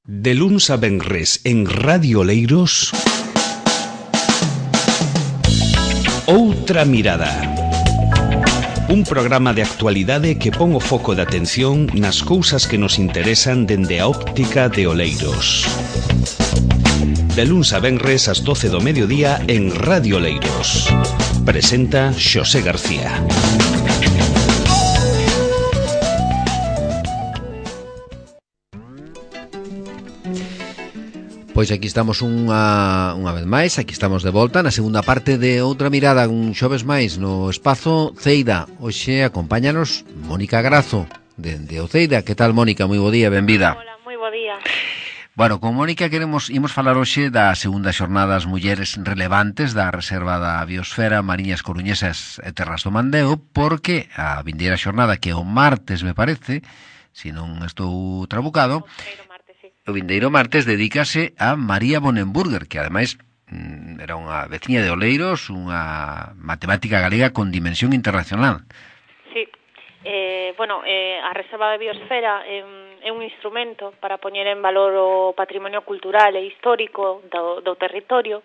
De luns a venres en Radio Oleiros, Outra Mirada. Un programa de actualidade que pon o foco de atención nas cousas que nos interesan dende a óptica de Oleiros. De luns a venres ás 12 do mediodía en Radio Oleiros. Presenta Xosé García. Pois aquí estamos unha vez máis, aquí estamos de volta na segunda parte de Outra Mirada, un xoves máis no espazo Ceida. Hoxe acompáñanos Mónica Grazo, de Oceida. Que tal, Mónica? Moi bo día, benvida. Hola, moi bo día. Bueno, con Mónica imos falar hoxe da segunda xornada das mulleres relevantes da Reserva da Biosfera Mariñas Coruñesas e Terras do Mandeo, porque a vindeira xornada, que é o martes, me parece, se non estou trabucado, o vindeiro martes dedícase a María Bonenburger, que ademais era unha veciña de Oleiros, unha matemática galega con dimensión internacional. Sí, a Reserva de Biosfera é un instrumento para poñer en valor o patrimonio cultural e histórico do territorio,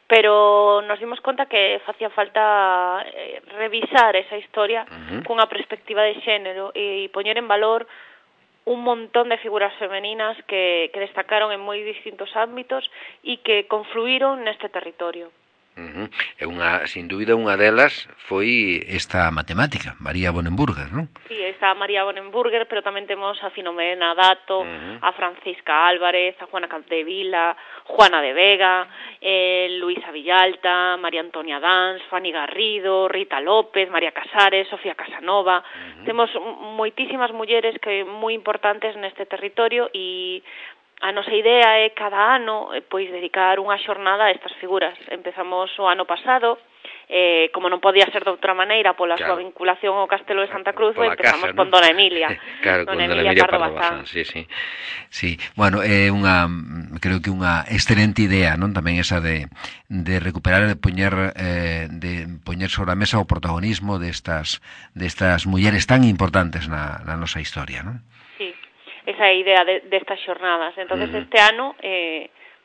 pero nos dimos conta que facía falta revisar esa historia cunha perspectiva de xénero e poñer en valor un montón de figuras femeninas que destacaron en moi distintos ámbitos e que confluíron neste territorio. Sin dúbida, unha delas foi esta matemática, María Bonenburger, non? Sí, está María Bonenburger, pero tamén temos a Filomena Dato, a Francisca Álvarez, a Juana Capdevila, Juana de Vega, Luisa Villalta, María Antonia Dans, Fanny Garrido, Rita López, María Casares, Sofía Casanova. Temos moitísimas mulleres que moi importantes neste territorio e a nosa idea é cada ano pois dedicar unha xornada a estas figuras. Empezamos o ano pasado, como non podía ser de outra maneira pola súa vinculación ao Castelo de Santa Cruz, empezamos con Dona Emilia. Claro, con Dona Emilia Pardo Bazán. Sí. Bueno, é creo que unha excelente idea, non? Tamén esa de recuperar e de poñer sobre a mesa o protagonismo destas mulleres tan importantes na nosa historia, non? Esa é a idea destas xornadas. Entonces este ano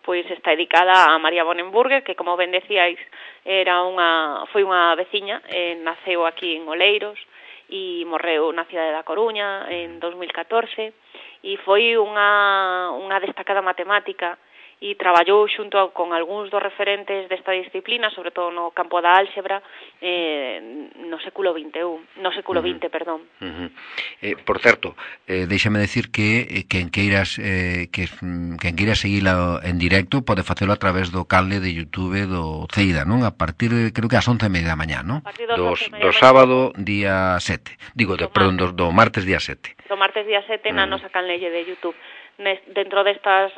pois está dedicada a María Bonenburger, que como ben decíais foi unha veciña, naceu aquí en Oleiros e morreu na cidade da Coruña en 2014 e foi unha destacada matemática e traballou xunto con algúns dos referentes desta disciplina, sobre todo no campo da álxebra, no século XX, perdón. Por certo, déixame decir que quen queira seguila en directo pode facelo a través do canle de YouTube do Ceida, non? A partir, creo que ás 11:30 da mañá, non? Do sábado, día 7. Do martes, día 7. Do martes, día 7, na nosa canlelle de YouTube. Dentro destas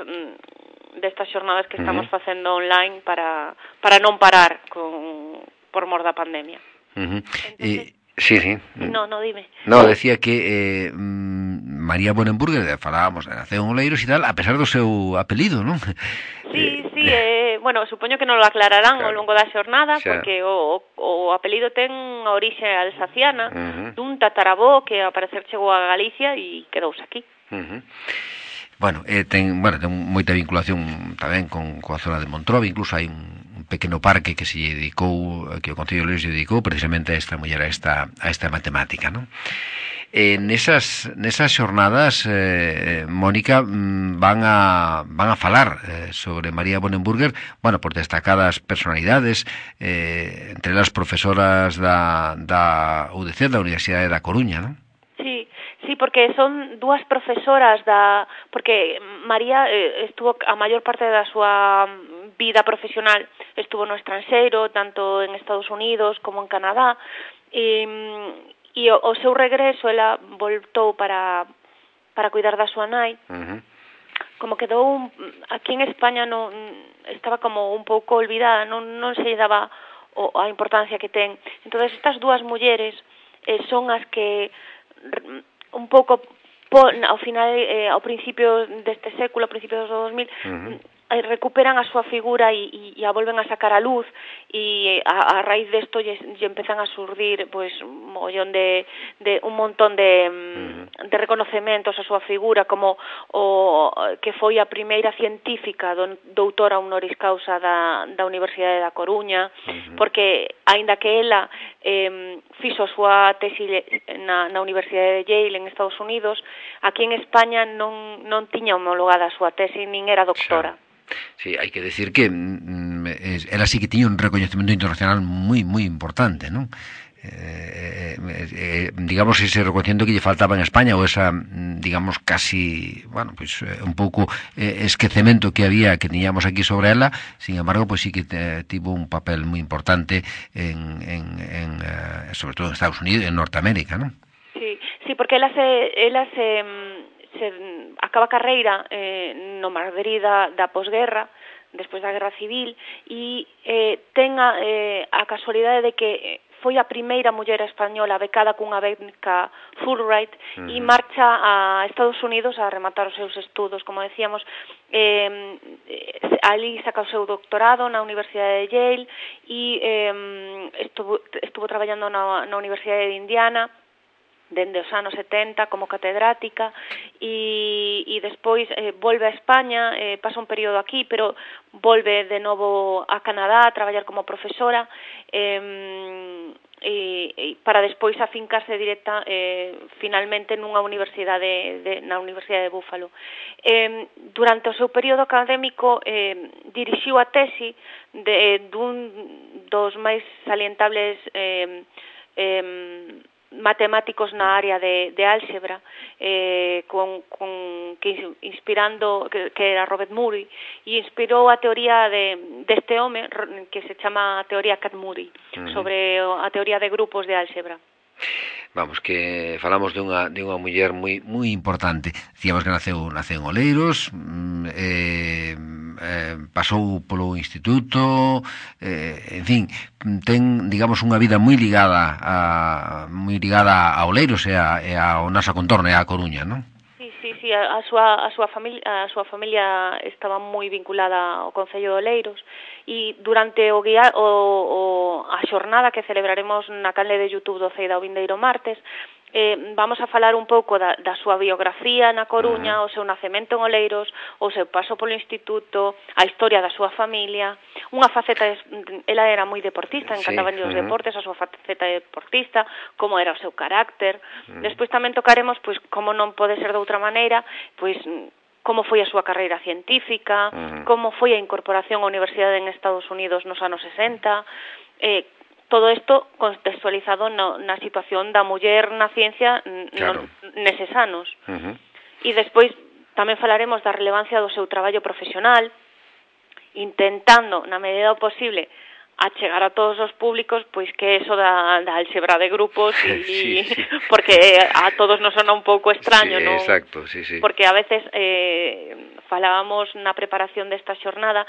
xornadas que estamos facendo online para non parar por mor da pandemia. Entonces, sí. No, dime. No, decía que María Bonenburger, falábamos, naceu en Oleiros e tal, a pesar do seu apelido, non? Sí, supoño que non lo aclararán ao longo da xornada, porque o apelido ten a orixe alsaciana, dun tataravó que ao parecer chegou a Galicia e quedouse aquí. Ten moita vinculación tamén coa zona de Montrove, incluso hai un pequeno parque que se dedicou, que o Concello de Oleiros se dedicou precisamente a esta muller, a esta matemática, non? Nesas xornadas, Mónica, van a falar sobre María Bonenburger, por destacadas personalidades, entre as profesoras da UDC, da Universidade da Coruña, non? Sí, porque son dúas profesoras porque María estuvo a maior parte da súa vida profesional estuvo no estranxeiro, tanto en Estados Unidos como en Canadá, e o seu regreso ela voltou para cuidar da súa nai. Como quedou aquí en España estaba como un pouco olvidada, non se lle daba a importancia que ten. Entonces estas dúas mulleres son as que un pouco ao final, ao principio deste século, a principios do 2000, recuperan a súa figura e a volven a sacar a luz, e a raíz desto lle empezan a surdir pois un montón de reconocementos a súa figura, como o que foi a primeira científica doutora honoris causa da Universidade da Coruña, porque aínda que ela fixo a súa tesi na Universidade de Yale en Estados Unidos, aquí en España non tiña homologada a súa tesi, nin era doctora. Sí, hai que decir que ela sí que tiña un recoñecemento internacional moi importante, non? Digamos ese reconocimiento que lle faltaba en España, ou esa, digamos, casi, bueno, pues un pouco esquecemento que había, que tiñamos aquí sobre ela. Sin embargo, pues sí que tivo un papel moi importante sobre todo en Estados Unidos, en Norteamérica, non? Sí, porque ela se acaba a carreira no Madrid da posguerra, despois da Guerra Civil, e ten a casualidade de que foi a primeira muller española becada cunha beca Fulbright e marcha a Estados Unidos a rematar os seus estudos. Como decíamos, ali saca o seu doctorado na Universidade de Yale e estuvo traballando na Universidade de Indiana dende os anos 70 como catedrática, e despois volve a España, pasa un período aquí, pero volve de novo a Canadá a traballar como profesora, para despois afincarse directa finalmente nunha universidade na Universidade de Buffalo. Durante o seu período académico dirixiu a tesi dun dos máis salientables matemáticos na área de álgebra, inspirando que era Robert Murray, e inspirou a teoría deste home que se chama teoría Cat-Murray, sobre a teoría de grupos de álgebra. Vamos, que falamos dunha muller moi importante. Dicíamos que naceu en Oleiros, pasou polo instituto, en fin, ten, digamos, unha vida moi ligada a Oleiros e ao noso contorno, e a Coruña, non? Sí, a súa familia estaba moi vinculada ao Concello de Oleiros, e durante a xornada que celebraremos na canle de YouTube do CEIDA o vindeiro martes, vamos a falar un pouco da súa biografía na Coruña, o seu nacemento en Oleiros, o seu paso polo instituto, a historia da súa familia, unha faceta, ela era moi deportista, encantaban os deportes, a súa faceta deportista, como era o seu carácter. Despois tamén tocaremos, pois, como non pode ser de outra maneira, pois, como foi a súa carreira científica, como foi a incorporación á universidade en Estados Unidos nos anos 60, todo isto contextualizado na situación da muller na ciencia neses anos. E despois tamén falaremos da relevancia do seu traballo profesional, intentando, na medida do posible, achegar a todos os públicos, pois que eso da álgebra de grupos, sí. Porque a todos nos sona un pouco extraño, sí, non? Exacto, sí. Porque a veces falábamos na preparación desta xornada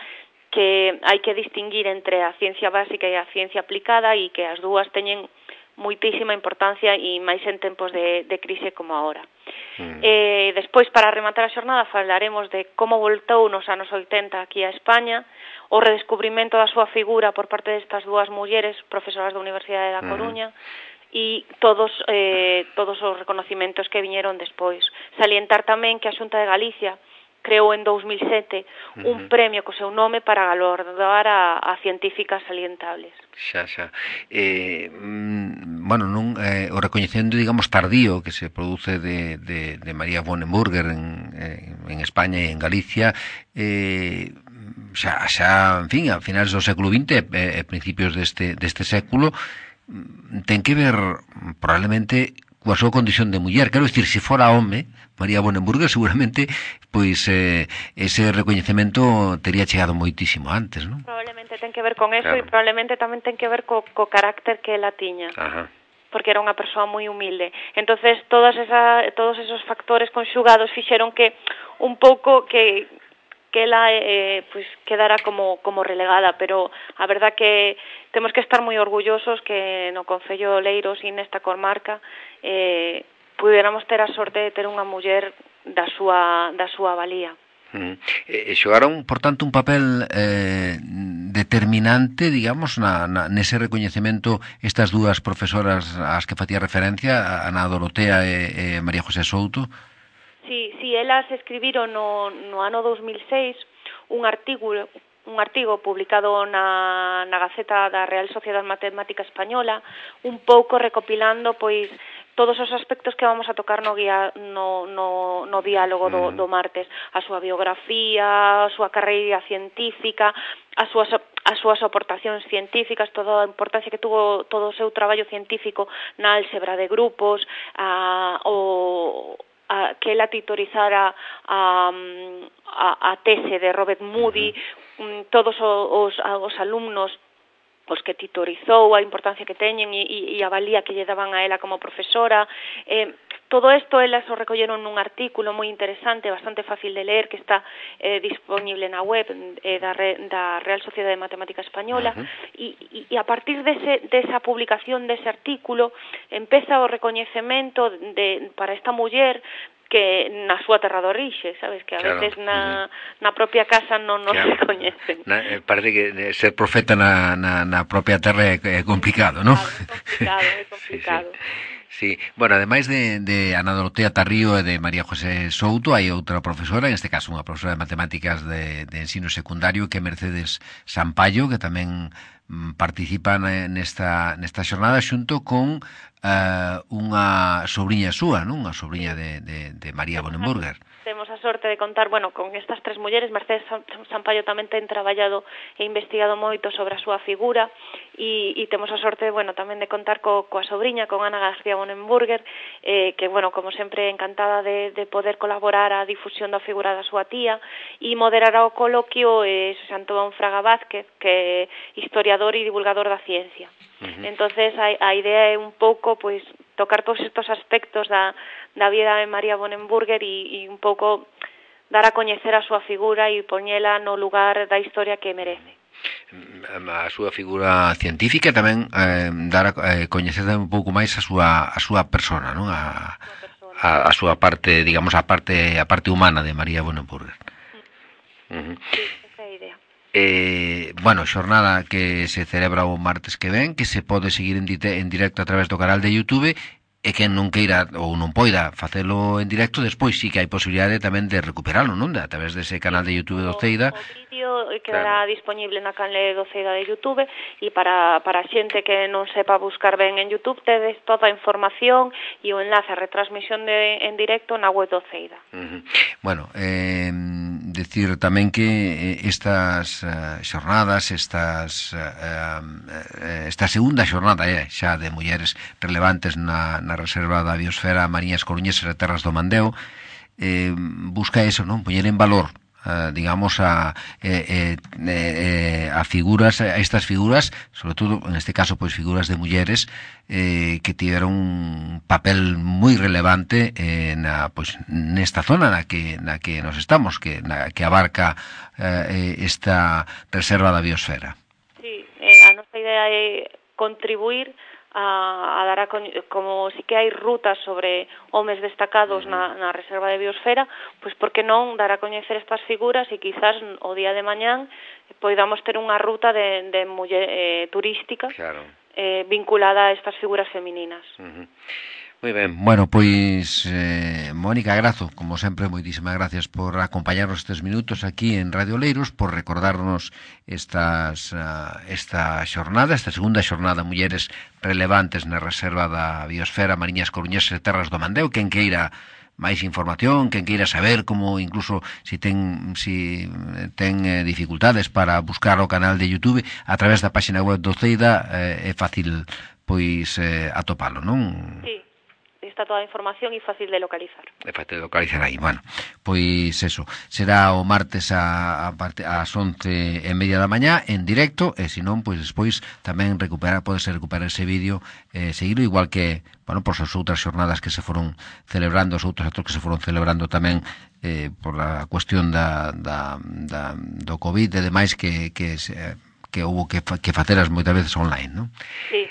que hai que distinguir entre a ciencia básica e a ciencia aplicada, e que as dúas teñen moitísima importancia, e máis en tempos de crise como agora. Despois, para rematar a xornada, falaremos de como voltou nos anos 80 aquí a España, o redescubrimento da súa figura por parte destas dúas mulleres profesoras da Universidade da Coruña, e todos os reconocimentos que viñeron despois. Salientar tamén que a Xunta de Galicia creou en 2007 un premio co seu nome para galardar a científicas salientables. Xa. Bueno, o recoñecemento, digamos, tardío que se produce de María Bonenburger en España e en Galicia, xa, en fin, a finales do século XX e principios deste século, ten que ver probablemente coa súa condición de muller. Quero dicir, se fora home, María Bonenburger, seguramente, pois ese recoñecemento tería chegado moitísimo antes, non? Probablemente ten que ver con eso, e probablemente tamén ten que ver co carácter que ela tiña. Porque era unha persoa moi humilde. Entonces, todos esos factores conxugados fixeron que un pouco que ela pues quedara como relegada, pero a verdad que temos que estar moi orgullosos que no Concello de Oleiros e nesta comarca puderamos ter a sorte de ter unha muller da súa valía. Xogaron, por tanto, un papel determinante, digamos, nese recoñecemento estas dúas profesoras ás que facía referencia, Ana Dorotea e María José Souto. Sí, elas escribiron no ano 2006 un artigo publicado na Gaceta da Real Sociedade Matemática Española, un pouco recopilando pois todos os aspectos que vamos a tocar no diálogo do martes, a súa biografía, a súa carreira científica, as súas aportacións científicas, toda a importancia que tuvo todo o seu traballo científico na álxebra de grupos, que ela titorizara a tese de Robert Moody, todos os alumnos os que titorizou, a importancia que teñen e a valía que lle daban a ela como profesora. Todo isto elas o recolleron nun artículo moi interesante, bastante fácil de ler, que está disponible na web da Real Sociedade de Matemática Española, e a partir desa publicación dese artículo empeza o recoñecemento para esta muller que na súa terra de orixe, sabes, que a veces na propia casa non nos recoñecen. Parece que ser profeta na propia terra é complicado, non? É complicado. Sí. Bueno, ademais de Ana Dorotea Tarrío e de María José Souto, hai outra profesora, en este caso unha profesora de matemáticas de ensino secundario, que é Mercedes Sampaio, que tamén participa nesta xornada xunto con unha sobrinha súa, non? Unha sobrinha de María Bonenburger. Temos a sorte de contar, con estas tres mulleres. Mercedes Sampaio tamén ten traballado e investigado moito sobre a súa figura e temos a sorte, tamén de contar coa sobrinha, con Ana García Bonenburger, que, como sempre, encantada de poder colaborar á difusión da figura da súa tía, e moderará o coloquio Xosé Antón Fraga Vázquez, que é historiador e divulgador da ciencia. Entonces, a idea é un pouco, tocar todos estos aspectos da vida de María Bonenburger e un pouco dar a coñecer a súa figura e poñela no lugar da historia que merece. A súa figura científica tamén dar a coñecer un pouco máis a súa persona, non? A súa parte, digamos, a parte humana de María Bonenburger. Sí, esa é a idea. Xornada que se celebra o martes que ven, que se pode seguir en directo a través do canal de YouTube, e quen non queira ou non poida facelo en directo, despois sí que hai posibilidade tamén de recuperalo, non? A través dese canal de YouTube do Ceida. O vídeo quedará disponible na canle do Ceida de YouTube, e para a xente que non sepa buscar ben en YouTube, tedes toda a información e o enlace a retransmisión en directo na web do Ceida. Decir tamén que estas xornadas, esta segunda xornada xa de mulleres relevantes na Reserva da Biosfera Mariñas Coruñesas e Terras do Mandeo, busca eso, non? Poñer en valor, digamos, a figuras, a estas figuras, sobre todo en este caso figuras de mulleres que tiveron un papel moi relevante nesta zona na que nos estamos, que abarca esta Reserva da Biosfera. Sí, a nosa idea é contribuir a dar como si que hai rutas sobre homes destacados na Reserva de Biosfera, por que non dar a coñecer estas figuras e quizás o día de mañán poidamos ter unha ruta de muller turística, claro, vinculada a estas figuras femininas. Moi ben. Mónica Grazo, como sempre, moitísimas gracias por acompañarnos estes minutos aquí en Radio Oleiros, por recordarnos esta xornada, esta segunda xornada Mulleres Relevantes na Reserva da Biosfera Mariñas Coruñesas e Terras do Mandeo. Quen queira máis información, quen queira saber como, incluso si ten dificultades para buscar o canal de YouTube, a través da página web do Ceida é fácil atopalo, non? Sí, está toda a información e fácil de localizar. É fácil de localizar aí. Eso, será o martes ás 11:30 da mañá en directo, e se non, despois tamén podes recuperar ese vídeo, seguirlo, igual que, por as outras xornadas que se foron celebrando, os outros actos que se foron celebrando tamén por a cuestión do COVID e demais que houve que faceras moitas veces online, non? Sí.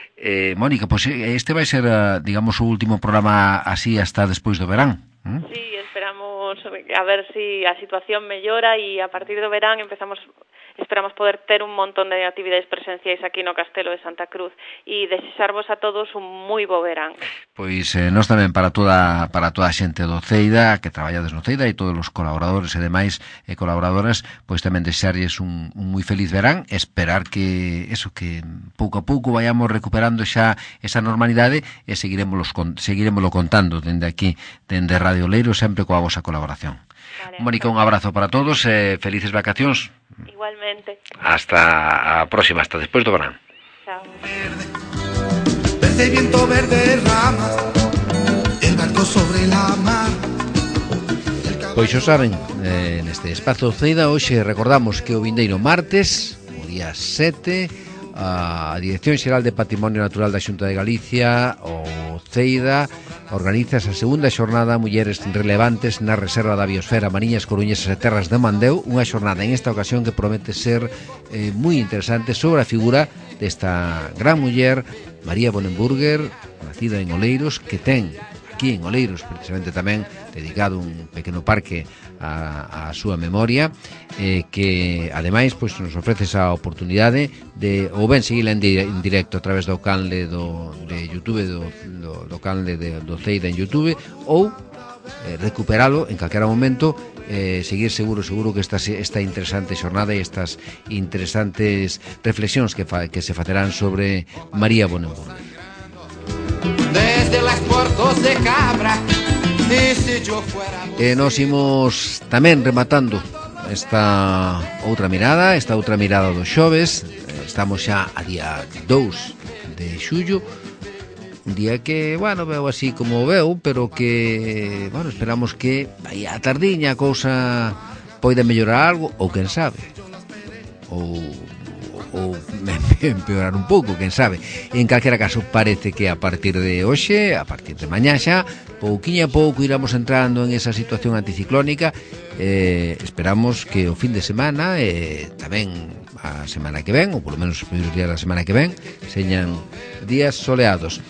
Mónica, este vai ser, digamos, o último programa así hasta despois do verán. Sí, esperamos que a ver si a situación mellora e a partir do verán esperamos poder ter un montón de actividades presenciais aquí no Castelo de Santa Cruz e desexarvos a todos un moi bo verán. Pois nós tamén para toda a xente do Ceida que traballades no Ceida e todos os colaboradores e demais colaboradoras, pois tamén desexarlles un moi feliz verán, esperar que pouco a pouco vayamos recuperando xa esa normalidade e seguiremoslo contando dende aquí, dende Radio Leiro, sempre coa vosa colaboración. Vale, Mónica, un abrazo para todos e felices vacacións. Igualmente. Hasta a próxima, hasta despois do verán. Chao. Verde viento, verde rama, el barco sobre la mar. Pois xo saben, neste espazo Ceida hoxe recordamos que o vindeiro martes, o día 7, a Dirección Xeral de Patrimonio Natural da Xunta de Galicia, o Ceida, organiza esa segunda xornada Mulleres Relevantes na Reserva da Biosfera Mariñas, Coruñesas e Terras de Mandeo, unha xornada en esta ocasión que promete ser moi interesante sobre a figura desta gran muller, María Bonenburger, nacida en Oleiros, que ten aquí en Oleiros precisamente tamén dedicado un pequeno parque a súa memoria, que ademais pois nos ofrece esa oportunidade de ou ben seguila en directo a través do canle de YouTube, do canle do Ceida en YouTube, ou recuperalo en calquera momento, seguir seguro que esta interesante xornada e estas interesantes reflexións que se facerán sobre María Bonenburger. Desde las Portos de Cabra. E nos imos tamén rematando esta outra mirada do xoves. Estamos xa a día 2 de xullo, un día que, veo así como veo, pero que, esperamos que aí a tardiña a cousa poida mellorar algo, ou quen sabe, ou empeorar un pouco, quen sabe. En calquera caso, parece que a partir de hoxe, a partir de mañá xa, pouquiño a pouco iramos entrando en esa situación anticiclónica. Esperamos que o fin de semana tamén a semana que ven, ou polo menos os primeiros días da semana que ven, señan días soleados.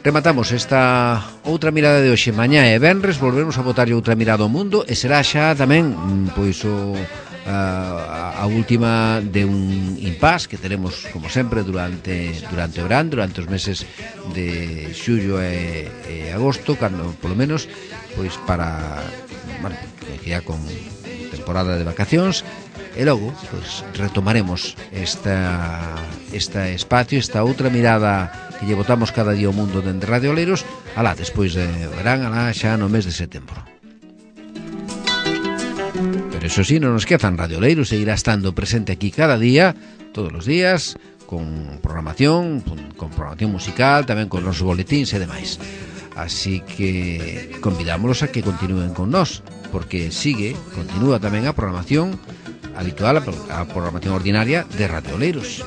Rematamos esta outra mirada de hoxe. Mañá e venres volvemos a botarlle outra mirada ao mundo e será xa tamén pois a última de un impasse que teremos como sempre durante o verán, durante os meses de xullo e agosto, cando polo menos pois para coincidir con temporada de vacacións, e logo pois retomaremos este espacio, esta outra mirada que lle botamos cada día ao mundo dende Radio Oleiros, alá despois de verán, alá xa no mes de setembro. Pero eso sí, non nos quezan, Radio Oleiros seguirá estando presente aquí cada día, todos os días, con programación musical, tamén con os boletíns e demais. Así que convidámonos a que continúen con nós, porque continúa tamén a programación habitual, a programación ordinaria de Radio Oleiros.